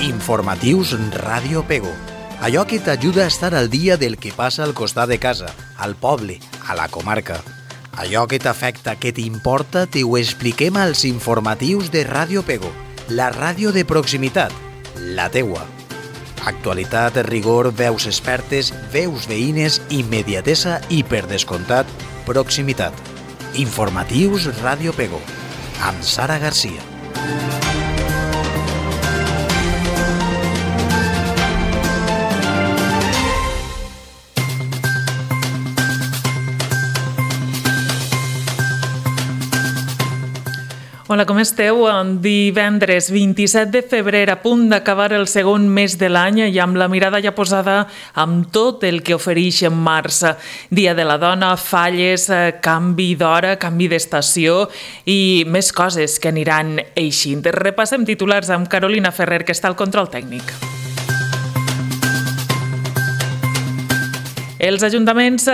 Informatius Ràdio Pego. Allò que t'ajuda a estar al dia del que passa al costat de casa, al poble, a la comarca. Allò que t'afecta, que t'importa, t'ho expliquem als informatius de Ràdio Pego, la ràdio de proximitat, la teua. Actualitat, rigor, veus expertes, veus veïnes, immediatesa i, per descomptat, proximitat. Informatius Ràdio Pego, amb Sara Garcia. Hola, com esteu? Divendres 27 de febrer, a punt d'acabar el segon mes de l'any i amb la mirada ja posada amb tot el que ofereix en març. Dia de la dona, falles, canvi d'hora, canvi d'estació i més coses que aniran eixint. Repassem titulars amb Carolina Ferrer, que està al control tècnic. Els ajuntaments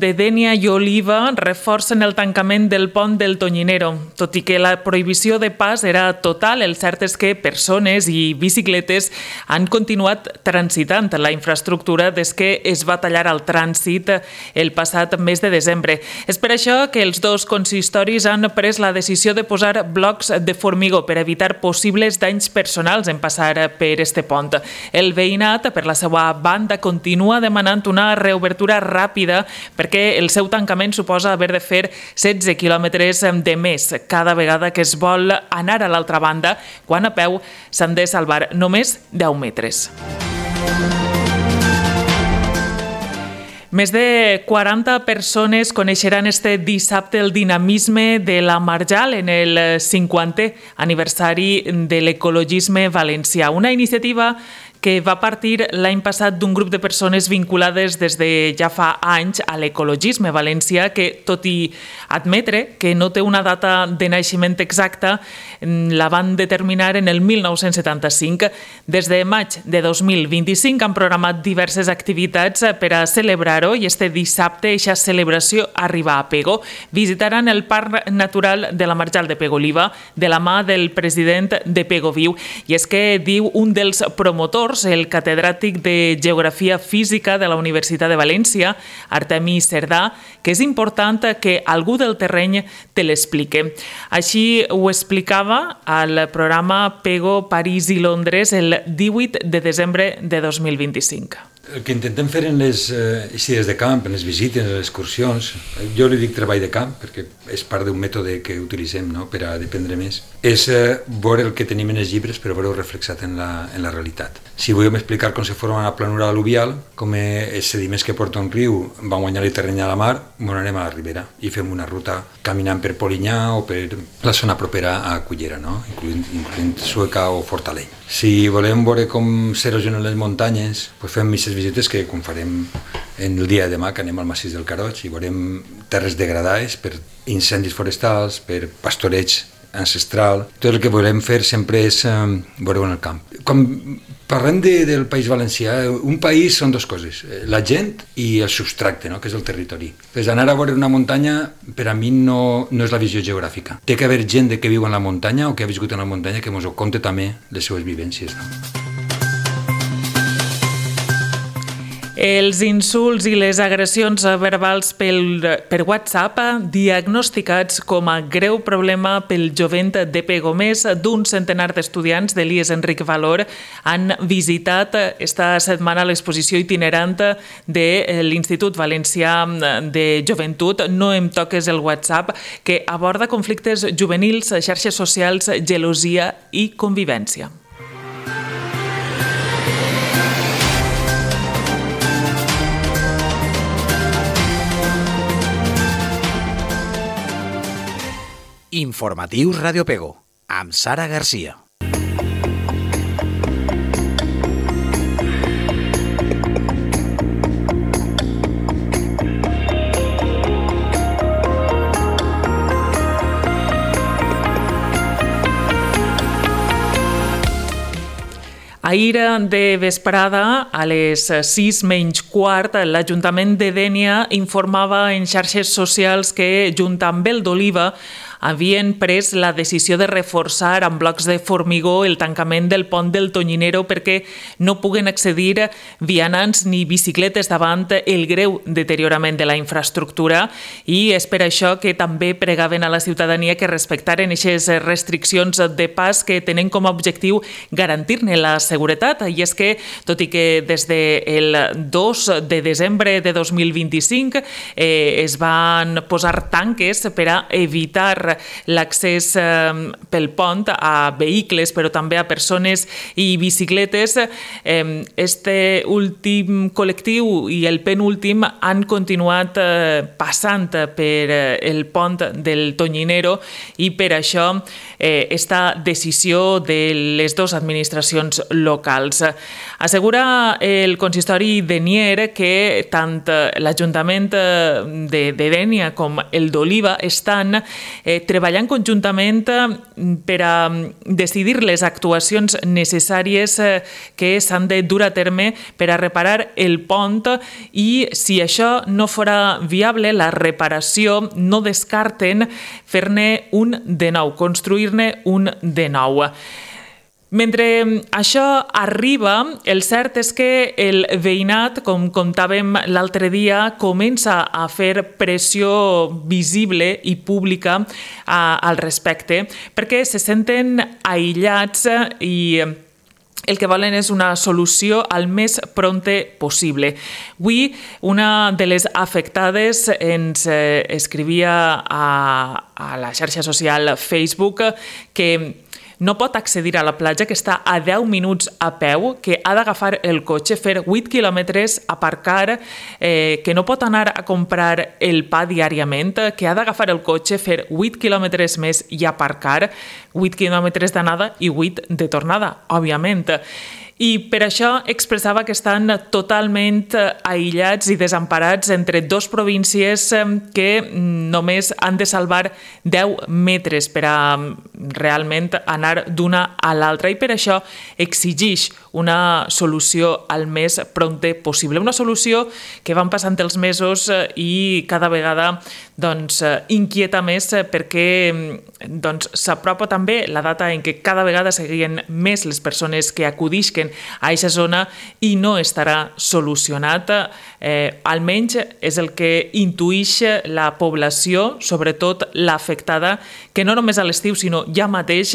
de Dénia i Oliva reforcen el tancament del pont del Tonyinero. Tot i que la prohibició de pas era total, el cert és que persones i bicicletes han continuat transitant la infraestructura des que es va tallar el trànsit el passat mes de desembre. És per això que els dos consistoris han pres la decisió de posar blocs de formigó per evitar possibles danys personals en passar per este pont. El veïnat, per la seva banda, continua demanant una reobertura ràpida perquè el seu tancament suposa haver de fer 16 quilòmetres de més cada vegada que es vol anar a l'altra banda, quan a peu s'han de salvar només 10 metres. Més de 40 persones coneixeran este dissabte el dinamisme de la Marjal en el 50è aniversari de l'ecologisme valencià. Una iniciativa que va partir l'any passat d'un grup de persones vinculades des de ja fa anys a l'ecologisme valencià, que, tot i admetre que no té una data de naixement exacta, la van determinar en el 1975. Des de maig de 2025 han programat diverses activitats per a celebrar-ho i este dissabte aquesta celebració arriba a Pego. Visitaran el Parc Natural de la Marjal de Pego-Oliva de la mà del president de Pego Viu. I és que diu un dels promotors, el catedràtic de Geografia Física de la Universitat de València, Artemi Cerdà, que és important que algú del terreny te l'explique. Així ho explicava al programa Pego, París i Londres el 18 de desembre de 2025. El que intentem fer en les eixides de camp, en les visites, en les excursions, jo li dic treball de camp, perquè és part d'un mètode que utilitzem per a dependre més, és veure el que tenim en els llibres però veure-ho reflexat en la realitat. Si volem explicar com se forma una planura al·luvial, com els sediments que porta un riu van guanyar el terreny a la mar, anem a la ribera i fem una ruta caminant per Polinyà o per la zona propera a Cullera, incloent Sueca o Fortaleny. Si volem veure com s'erosionen les muntanyes, fem aquestes visites que com farem en el dia de demà, que anem al massís del Caroig i veurem terres degradades per incendis forestals, per pastoreig ancestral. Tot el que volem fer sempre és veure-ho en el camp. Quan parlem del País Valencià, un país són dues coses, la gent i el substracte, que és el territori. Anar a veure una muntanya per a mi no és la visió geogràfica. Té que haver gent que viu en la muntanya o que ha viscut en la muntanya que ens ho conte també les seues vivències. Els insults i les agressions verbals per WhatsApp diagnosticats com a greu problema pel jovent de Pego. Més d'un centenar d'estudiants de l'IES Enric Valor han visitat esta setmana l'exposició itinerant de l'Institut Valencià de Joventut No em toques el WhatsApp, que aborda conflictes juvenils, xarxes socials, gelosia i convivència. Informatius Ràdio Pego, amb Sara Garcia. Ahir de vesprada, a les 6:15, l'Ajuntament de Dénia informava en xarxes socials que, junt amb el d'Oliva, havien pres la decisió de reforçar amb blocs de formigó el tancament del pont del Tonyinero perquè no puguen accedir vianants ni bicicletes davant el greu deteriorament de la infraestructura, i és per això que també pregaven a la ciutadania que respectaren aquestes restriccions de pas que tenen com a objectiu garantir-ne la seguretat. I és que, tot i que des del 2 de desembre de 2025 es van posar tanques per a evitar l'accés pel pont a vehicles, però també a persones i bicicletes, este últim col·lectiu i el penúltim han continuat passant per el pont del Tonyinero, i per això esta decisió de les dues administracions locals. Assegura el consistori de Nier que tant l'Ajuntament de Dénia com el d'Oliva estan treballant conjuntament per a decidir les actuacions necessàries que s'han de dur a terme per a reparar el pont, i si això no fora viable, la reparació, no descarten fer-ne un de nou, construir-ne un de nou. Mentre això arriba, el cert és que el veïnat, com contàvem l'altre dia, comença a fer pressió visible i pública al respecte, perquè se senten aïllats i el que volen és una solució al més prompte possible. Avui, una de les afectades ens escrivia a la xarxa social Facebook que no pot accedir a la platja, que està a 10 minuts a peu, que ha d'agafar el cotxe, fer 8 quilòmetres, aparcar, que no pot anar a comprar el pa diàriament, que ha d'agafar el cotxe, fer 8 quilòmetres més i aparcar, 8 quilòmetres d'anada i 8 de tornada, òbviament. I per això expressava que estan totalment aïllats i desemparats entre dues províncies que només han de salvar 10 metres per a realment anar d'una a l'altra, i per això exigeix una solució al més prompte possible. Una solució que van passant els mesos i cada vegada inquieta més, perquè s'apropa també la data en què cada vegada seguien més les persones que acudisquen a aquesta zona i no estarà solucionat. Almenys és el que intuïx la població, sobretot l'afectada, que no només a l'estiu, sinó ja mateix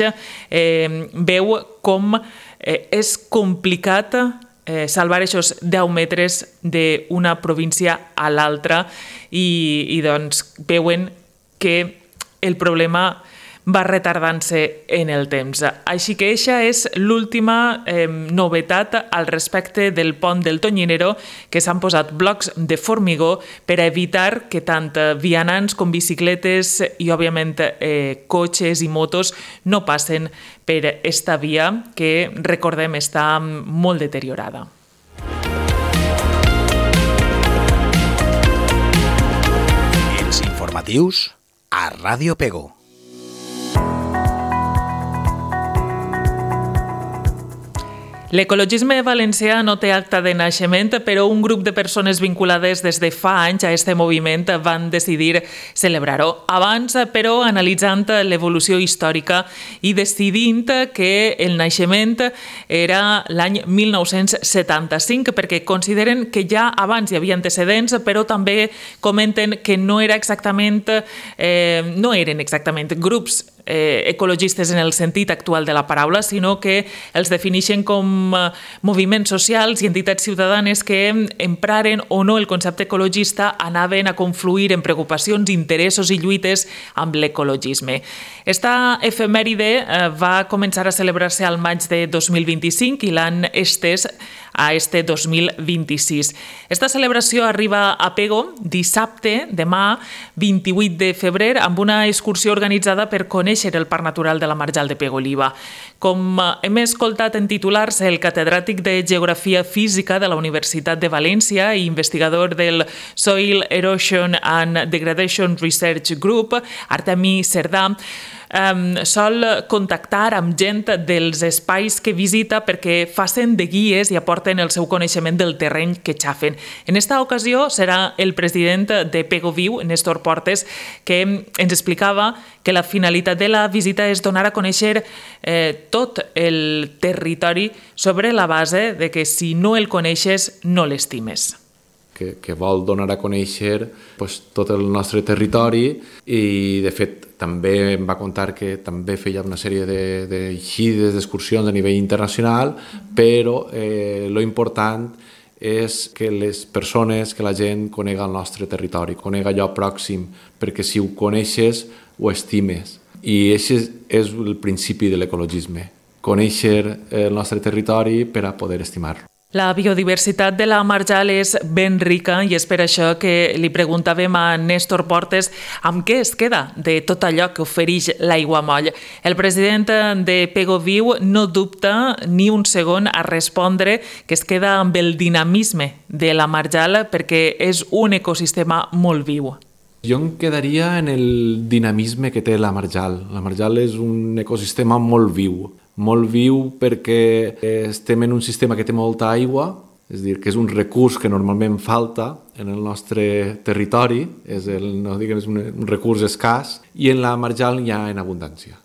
veu com és complicat salvar aquests 10 metres d'una província a l'altra, i veuen que el problema va retardant-se en el temps. Així que aquesta és l'última novetat al respecte del pont del Tonyinero, que s'han posat blocs de formigó per a evitar que tant vianants com bicicletes i, òbviament, cotxes i motos no passen per esta via que, recordem, està molt deteriorada. Els informatius a Ràdio Pego. L'ecologisme valencià no té acta de naixement, però un grup de persones vinculades des de fa anys a aquest moviment van decidir celebrar-ho. Abans, però, analitzant l'evolució històrica i decidint que el naixement era l'any 1975, perquè consideren que ja abans hi havia antecedents, però també comenten que no eren exactament grups ecologistes en el sentit actual de la paraula, sinó que els defineixen com moviments socials i entitats ciutadanes que empraren o no el concepte ecologista, anaven a confluir en preocupacions, interessos i lluites amb l'ecologisme. Esta efemèride va començar a celebrar-se al maig de 2025 i l'han estès a este 2026. Esta celebració arriba a Pego dissabte, demà, 28 de febrer, amb una excursió organitzada per conèixer el Parc Natural de la Marjal de Pego-Oliva. Com hem escoltat en titulars, el catedràtic de Geografia Física de la Universitat de València i investigador del Soil Erosion and Degradation Research Group, Artemi Cerdà, sol contactar amb gent dels espais que visita perquè facin de guies i aporten el seu coneixement del terreny que xafen. En esta ocasió serà el president de Pego Viu, Néstor Portes, que ens explicava que la finalitat de la visita és donar a conèixer tot el territori sobre la base de que si no el coneixes, no l'estimes. Que vol donar a conèixer tot el nostre territori i, de fet, també em va contar que també feia una sèrie d'eixides, d'excursions a nivell internacional, però lo important és que les persones, que la gent conega el nostre territori, conega allò pròxim, perquè si ho coneixes, ho estimes. I aquest és el principi de l'ecologisme, conèixer el nostre territori per a poder estimar-lo. La biodiversitat de la marjal és ben rica i és per això que li preguntàvem a Néstor Portes amb què es queda de tot allò que ofereix l'aiguamoll. El president de Pego Viu no dubta ni un segon a respondre que es queda amb el dinamisme de la marjal perquè és un ecosistema molt viu. Jo em quedaria en el dinamisme que té la marjal. La marjal és un ecosistema molt viu perquè estem en un sistema que té molta aigua, és a dir, que és un recurs que normalment falta en el nostre territori, és un recurs escàs, i en la marjal hi ha en abundància.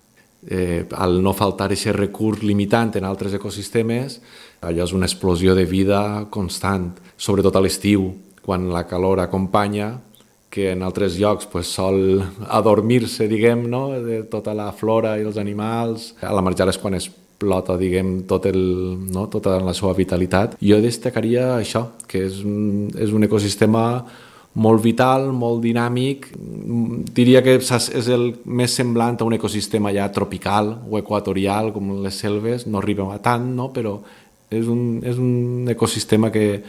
Al no faltar aquest recurs limitant en altres ecosistemes, allò és una explosió de vida constant, sobretot a l'estiu, quan la calor acompanya, que en altres llocs sol adormir-se, de tota la flora i els animals. A la marjal és quan explota, tota la seva vitalitat. Jo destacaria això, que és un ecosistema molt vital, molt dinàmic. Diria que és el més semblant a un ecosistema ja tropical o equatorial, com les selves. No arriba a tant, però és un ecosistema que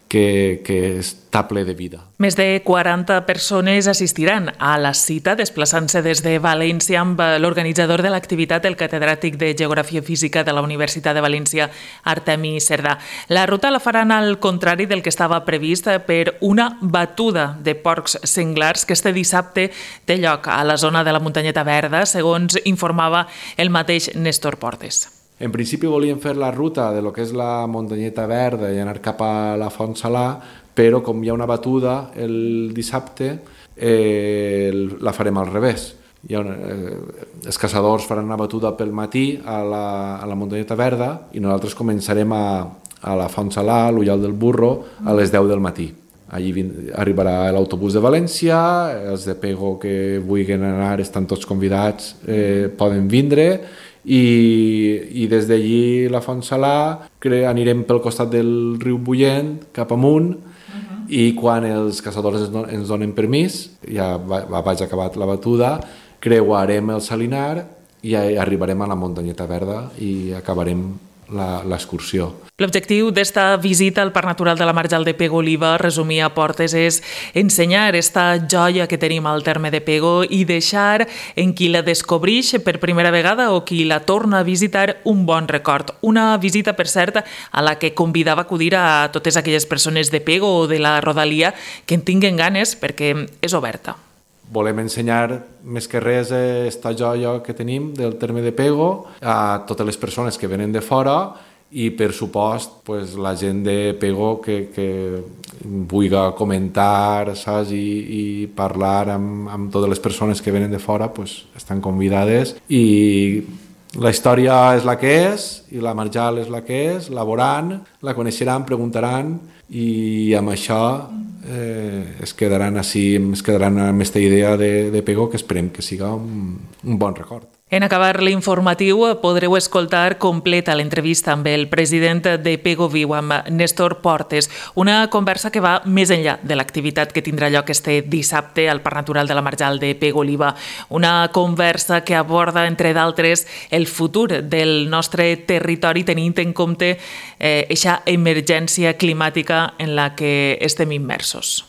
està ple de vida. Més de 40 persones assistiran a la cita, desplaçant-se des de València amb l'organitzador de l'activitat, el catedràtic de Geografia Física de la Universitat de València, Artemi Cerdà. La ruta la faran al contrari del que estava previst per una batuda de porcs senglars que este dissabte té lloc a la zona de la Muntanyeta Verda, segons informava el mateix Néstor Portes. En principi volíem fer la ruta de lo que és la Muntanyeta Verda i anar cap a la Font Salà, però com hi ha una batuda el dissabte, la farem al revés. Els caçadors faran una batuda pel matí a la Muntanyeta Verda i nosaltres començarem a la Font Salà, a l'Ullal del Burro, a les 10 del matí. Allí arribarà l'autobús de València, els de Pego que vulguin anar estan tots convidats, poden vindre, i des d'allí la Font Salà anirem pel costat del riu Bullent cap amunt i quan els caçadors ens donen permís, ja vaig acabat la batuda, creuarem el Salinar i arribarem a la Muntanyeta Verda i acabarem l'excursió. L'objectiu d'esta visita al Parc Natural de la Marjal de Pego Oliva, resumia Portes, és ensenyar esta joia que tenim al terme de Pego i deixar en qui la descobreix per primera vegada o qui la torna a visitar un bon record. Una visita, per cert, a la que convidava a acudir a totes aquelles persones de Pego o de la rodalia que en tinguen ganes perquè és oberta. Volem ensenyar més que res esta joia que tenim del terme de Pego a totes les persones que venen de fora i, per supost, la gent de Pego que vulgui comentar i parlar amb totes les persones que venen de fora estan convidades. I la història és la que és i la marjal és la que és, la veuran, la coneixeran, preguntaran i amb això es quedaran amb aquesta idea de Pego que esperem que siga un bon record. En acabar l'informatiu podreu escoltar completa l'entrevista amb el president de Pego Viu, amb Néstor Portes, una conversa que va més enllà de l'activitat que tindrà lloc este dissabte al Parc Natural de la Marjal de Pego Oliva. Una conversa que aborda, entre d'altres, el futur del nostre territori tenint en compte eixa emergència climàtica en la que estem immersos.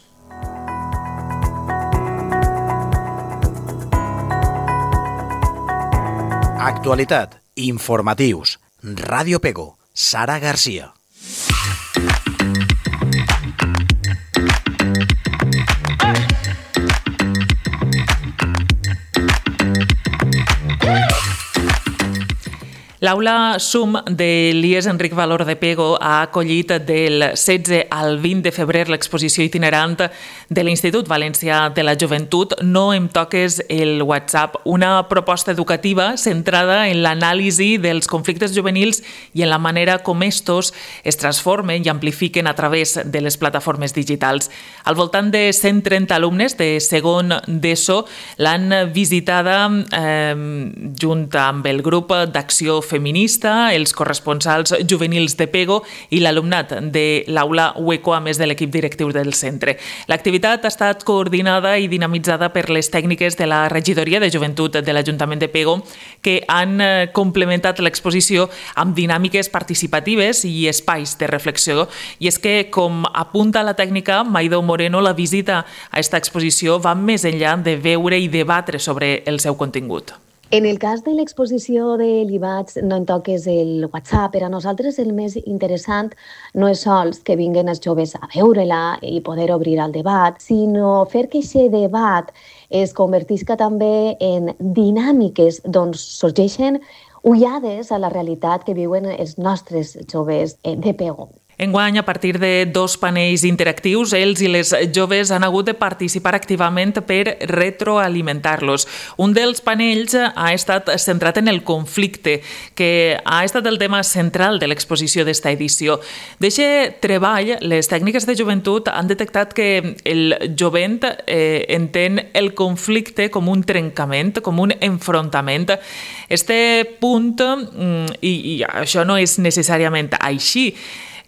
Actualitat, informatius, Ràdio Pego, Sara Garcia. L'aula SUM de l'IES Enric Valor de Pego ha acollit del 16 al 20 de febrer l'exposició itinerant de l'Institut Valencià de la Joventut No em toques el WhatsApp, una proposta educativa centrada en l'anàlisi dels conflictes juvenils i en la manera com estos es transformen i amplifiquen a través de les plataformes digitals. Al voltant de 130 alumnes de segon d'ESO l'han visitada junt amb el grup d'acció feminista, els corresponsals juvenils de Pego i l'alumnat de l'aula Hueco, a més de l'equip directiu del centre. L'activitat ha estat coordinada i dinamitzada per les tècniques de la Regidoria de Joventut de l'Ajuntament de Pego, que han complementat l'exposició amb dinàmiques participatives i espais de reflexió. I és que, com apunta la tècnica Maido Moreno, la visita a aquesta exposició va més enllà de veure i debatre sobre el seu contingut. En el cas de l'exposició de l'IVATS No em toques el WhatsApp, per a nosaltres el més interessant no és sols que vinguen els joves a veure-la i poder obrir el debat, sinó fer que aquest debat es convertisca també en dinàmiques d'on sorgeixen ullades a la realitat que viuen els nostres joves de Pego. Enguany, a partir de 2 panells interactius, ells i les joves han hagut de participar activament per retroalimentar-los. Un dels panells ha estat centrat en el conflicte, que ha estat el tema central de l'exposició d'esta edició. D'aquest treball, les tècniques de joventut han detectat que el jovent entén el conflicte com un trencament, com un enfrontament. Este punt, i això no és necessàriament així,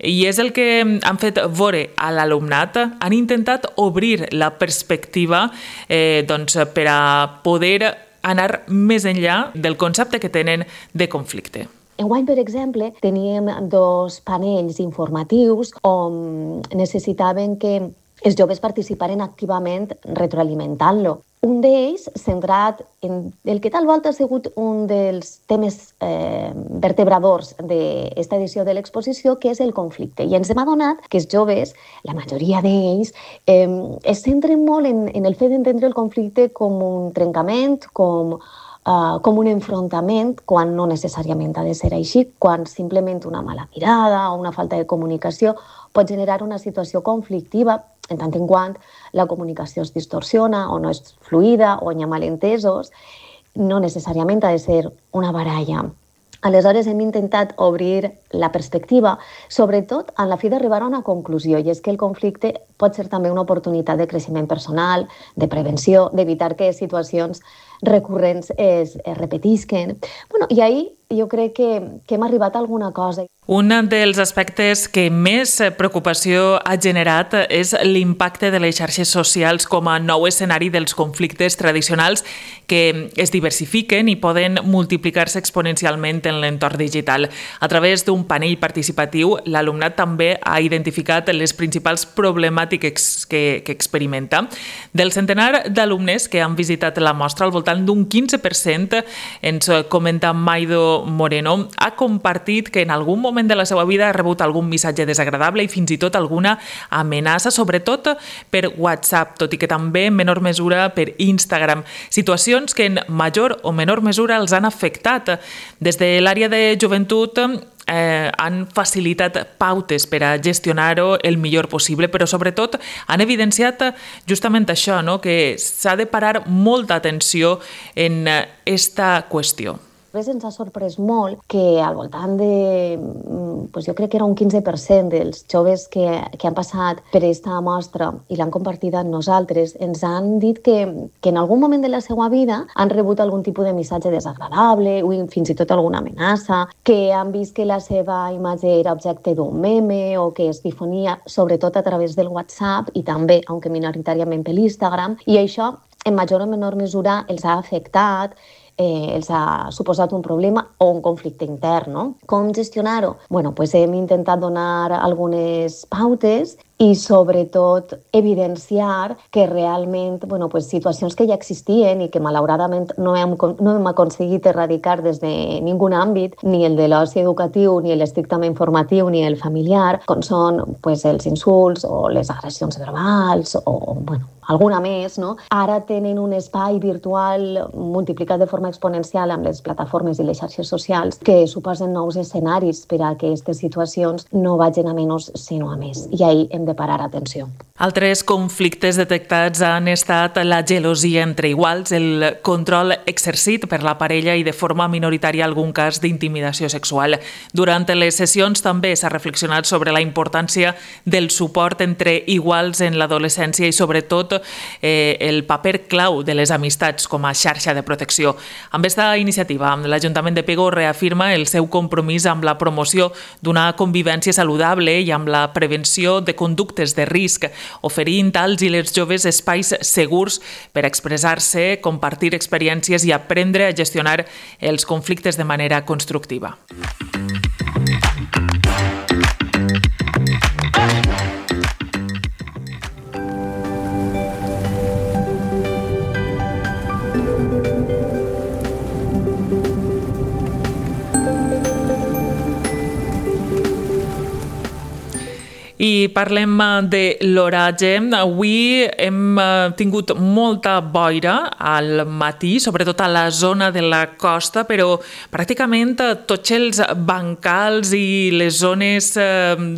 i és el que han fet veure a l'alumnat, han intentat obrir la perspectiva per a poder anar més enllà del concepte que tenen de conflicte. Enguany, per exemple, teníem 2 panells informatius on necessitaven que els joves participaren activament retroalimentant-lo. Un d'ells, centrat en el que tal volta ha sigut un dels temes vertebradors d'esta edició de l'exposició, que és el conflicte. I ens hem adonat que els joves, la majoria d'ells, es centren molt en el fet d'entendre el conflicte com un trencament, com un enfrontament, quan no necessàriament ha de ser així, quan simplement una mala mirada o una falta de comunicació pot generar una situació conflictiva, en tant en quant la comunicació es distorsiona o no és fluida o hi ha malentesos, no necessàriament ha de ser una baralla. Aleshores hem intentat obrir la perspectiva, sobretot en la fi d'arribar a una conclusió, i és que el conflicte pot ser també una oportunitat de creixement personal, de prevenció, d'evitar que situacions recurrents es repetisquen. I ahir jo crec que hem arribat a alguna cosa. Un dels aspectes que més preocupació ha generat és l'impacte de les xarxes socials com a nou escenari dels conflictes tradicionals que es diversifiquen i poden multiplicar-se exponencialment en l'entorn digital. A través d'un panell participatiu, l'alumnat també ha identificat les principals problemàtiques que experimenta. Del centenar d'alumnes que han visitat la mostra, al voltant d'un 15%, ens comenta Maido Moreno, ha compartit que en algun moment de la seva vida ha rebut algun missatge desagradable i fins i tot alguna amenaça, sobretot per WhatsApp, tot i que també en menor mesura per Instagram. Situacions que en major o menor mesura els han afectat. Des de l'àrea de joventut han facilitat pautes per a gestionar-ho el millor possible, però sobretot han evidenciat justament això, que s'ha de parar molta atenció en esta qüestió. Ens ha sorprès molt que al voltant de, jo crec que era un 15% dels joves que han passat per aquesta mostra i l'han compartida amb nosaltres, ens han dit que en algun moment de la seva vida han rebut algun tipus de missatge desagradable o fins i tot alguna amenaça, que han vist que la seva imatge era objecte d'un meme o que es difonia sobretot a través del WhatsApp i també, aunque minoritàriament per l'Instagram, i això en major o menor mesura els ha afectat, els ha suposat un problema o un conflicte intern. Com gestionar-ho? Hem intentat donar algunes pautes i sobretot evidenciar que realment situacions que ja existien i que malauradament no hem aconseguit erradicar des de ningun àmbit, ni el de l'oci educatiu, ni l'estrictament formatiu, ni el familiar, com són els insults o les agressions verbals o alguna més, no? Ara tenen un espai virtual multiplicat de forma exponencial amb les plataformes i les xarxes socials que suposen nous escenaris per a que aquestes situacions no vagin a menys sinó a més. I ahí hem de parar atenció. Altres conflictes detectats han estat la gelosia entre iguals, el control exercit per la parella i de forma minoritària algun cas d'intimidació sexual. Durant les sessions també s'ha reflexionat sobre la importància del suport entre iguals en l'adolescència i sobretot el paper clau de les amistats com a xarxa de protecció. Amb aquesta iniciativa, l'Ajuntament de Pego reafirma el seu compromís amb la promoció d'una convivència saludable i amb la prevenció de conductes de risc, oferint als i les joves espais segurs per expressar-se, compartir experiències i aprendre a gestionar els conflictes de manera constructiva. I parlem de l'oratge. Avui hem tingut molta boira al matí, sobretot a la zona de la costa, però pràcticament tots els bancals i les zones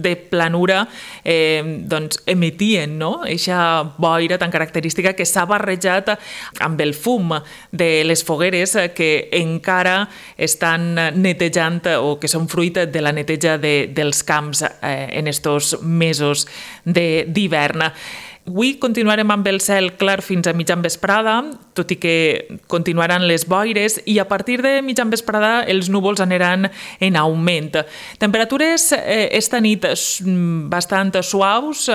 de planura emetien eixa boira tan característica que s'ha barrejat amb el fum de les fogueres que encara estan netejant o que són fruit de la neteja dels camps en estos mesos d'hivern. Avui continuarem amb el cel clar fins a mitjan vesprada, tot i que continuaran les boires, i a partir de mitjan vesprada els núvols aniran en augment. Temperatures esta nit bastant suaus,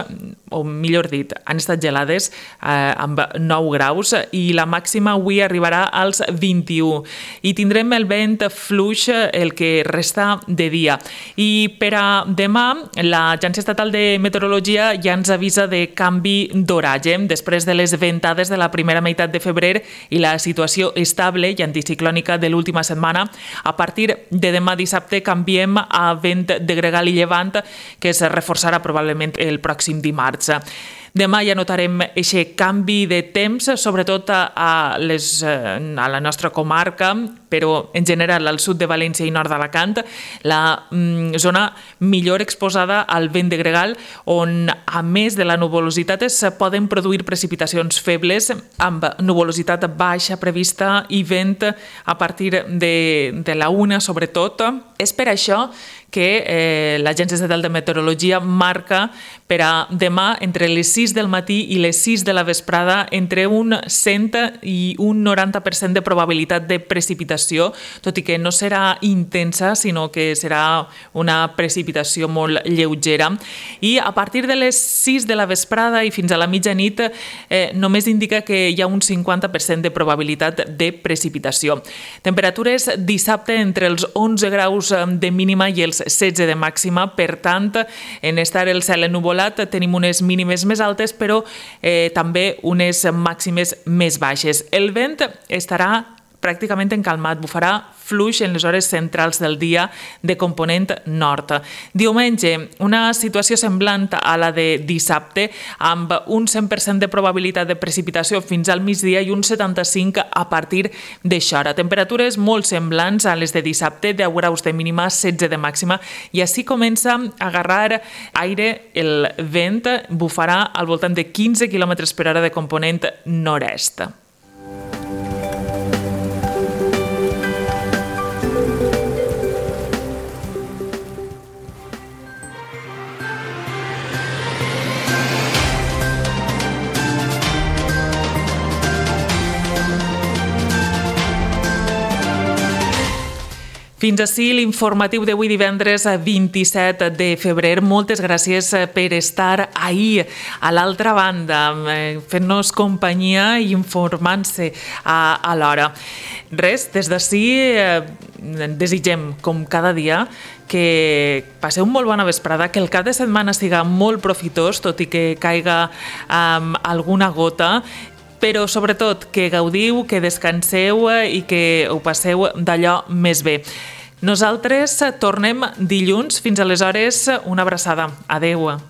o millor dit, han estat gelades amb 9 graus i la màxima avui arribarà als 21. I tindrem el vent fluix el que resta de dia. I per a demà, l'Agència Estatal de Meteorologia ja ens avisa de canvi d'oratge. Després de les ventades de la primera meitat de febrer i la situació estable i anticiclònica de l'última setmana, a partir de demà dissabte canviem a vent de gregal i llevant, que es reforçarà probablement el pròxim dimarts. Demà ja notarem aquest canvi de temps, sobretot a la nostra comarca, però en general al sud de València i nord d'Alacant, la zona millor exposada al vent de gregal, on a més de la nuvolositat es poden produir precipitacions febles, amb nuvolositat baixa prevista i vent a partir de la 1 sobretot. És per això que l'Agència Estatal de Meteorologia marca per a demà entre les 6 del matí i les 6 de la vesprada entre un 100 i un 90% de probabilitat de precipitació, tot i que no serà intensa, sinó que serà una precipitació molt lleugera. I a partir de les 6 de la vesprada i fins a la mitjanit només indica que hi ha un 50% de probabilitat de precipitació. Temperatures dissabte entre els 11 graus de mínima i els 16 de màxima, per tant, en estar el cel ennuvolat tenim unes mínimes més altes, però també unes màximes més baixes. El vent estarà pràcticament encalmat, bufarà fluix en les hores centrals del dia de component nord. Diumenge, una situació semblant a la de dissabte, amb un 100% de probabilitat de precipitació fins al migdia i un 75% a partir d'això hora. Temperatures molt semblants a les de dissabte, 10 graus de mínima, 16 de màxima, i així comença a agarrar aire. El vent bufarà al voltant de 15 km per hora de component nord-est. Fins ací l'informatiu d'avui divendres 27 de febrer. Moltes gràcies per estar ahir a l'altra banda, fent-nos companyia i informant-se a l'hora. Res, des d'ací desitgem, com cada dia, que passeu una molt bona vesprada, que el cap de setmana siga molt profitós, tot i que caiga alguna gota, però sobretot que gaudiu, que descanseu i que ho passeu d'allò més bé. Nosaltres tornem dilluns. Fins aleshores, una abraçada. Adeu.